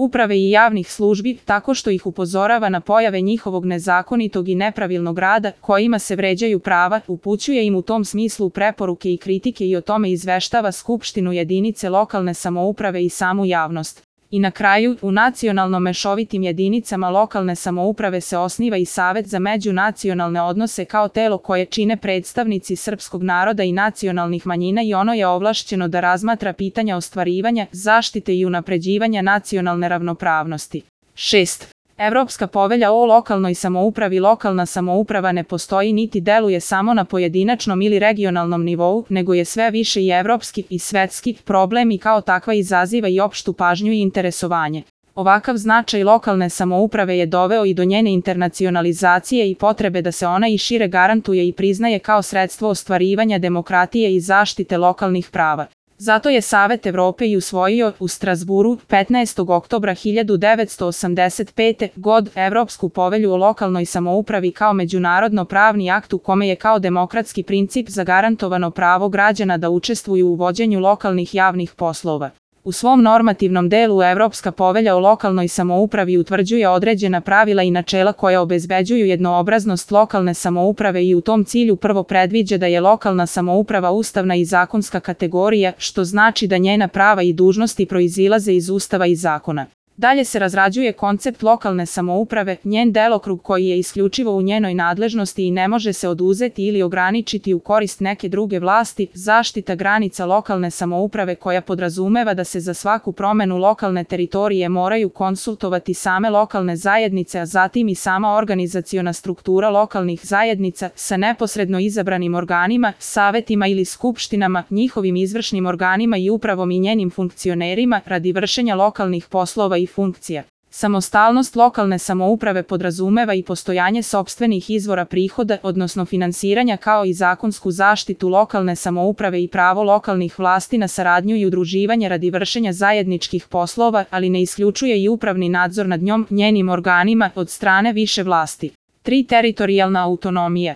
uprave i javnih službi, tako što ih upozorava na pojave njihovog nezakonitog i nepravilnog rada, kojima se vređaju prava, upućuje im u tom smislu preporuke i kritike i o tome izveštava Skupštinu jedinice lokalne samouprave i samu javnost. I na kraju, u nacionalno mešovitim jedinicama lokalne samouprave se osniva i Savet za međunacionalne odnose kao telo koje čine predstavnici srpskog naroda i nacionalnih manjina i ono je ovlašćeno da razmatra pitanja ostvarivanja, zaštite i unapređivanja nacionalne ravnopravnosti. 6. Evropska povelja o lokalnoj samoupravi. Lokalna samouprava ne postoji niti deluje samo na pojedinačnom ili regionalnom nivou, nego je sve više i evropski i svetski problem i kao takva izaziva i opštu pažnju i interesovanje. Ovakav značaj lokalne samouprave je doveo i do njene internacionalizacije i potrebe da se ona i šire garantuje i priznaje kao sredstvo ostvarivanja demokratije i zaštite lokalnih prava. Zato je Savet Evrope i usvojio u Strazburu 15. oktobra 1985. godine Evropsku povelju o lokalnoj samoupravi kao međunarodno pravni akt u kome je kao demokratski princip zagarantovano pravo građana da učestvuju u vođenju lokalnih javnih poslova. U svom normativnom delu Evropska povelja o lokalnoj samoupravi utvrđuje određena pravila i načela koja obezbeđuju jednoobraznost lokalne samouprave i u tom cilju prvo predviđa da je lokalna samouprava ustavna i zakonska kategorija, što znači da njena prava i dužnosti proizilaze iz Ustava i zakona. Dalje se razrađuje koncept lokalne samouprave, njen delokrug koji je isključivo u njenoj nadležnosti i ne može se oduzeti ili ograničiti u korist neke druge vlasti, zaštita granica lokalne samouprave koja podrazumeva da se za svaku promenu lokalne teritorije moraju konsultovati same lokalne zajednice, a zatim i sama organizaciona struktura lokalnih zajednica sa neposredno izabranim organima, savetima ili skupštinama, njihovim izvršnim organima i upravom i njenim funkcionerima radi vršenja lokalnih poslova i funkcija. Samostalnost lokalne samouprave podrazumeva i postojanje sopstvenih izvora prihoda, odnosno finansiranja kao i zakonsku zaštitu lokalne samouprave i pravo lokalnih vlasti na saradnju i udruživanje radi vršenja zajedničkih poslova, ali ne isključuje i upravni nadzor nad njom, njenim organima, od strane više vlasti. 3. Teritorijalna autonomija.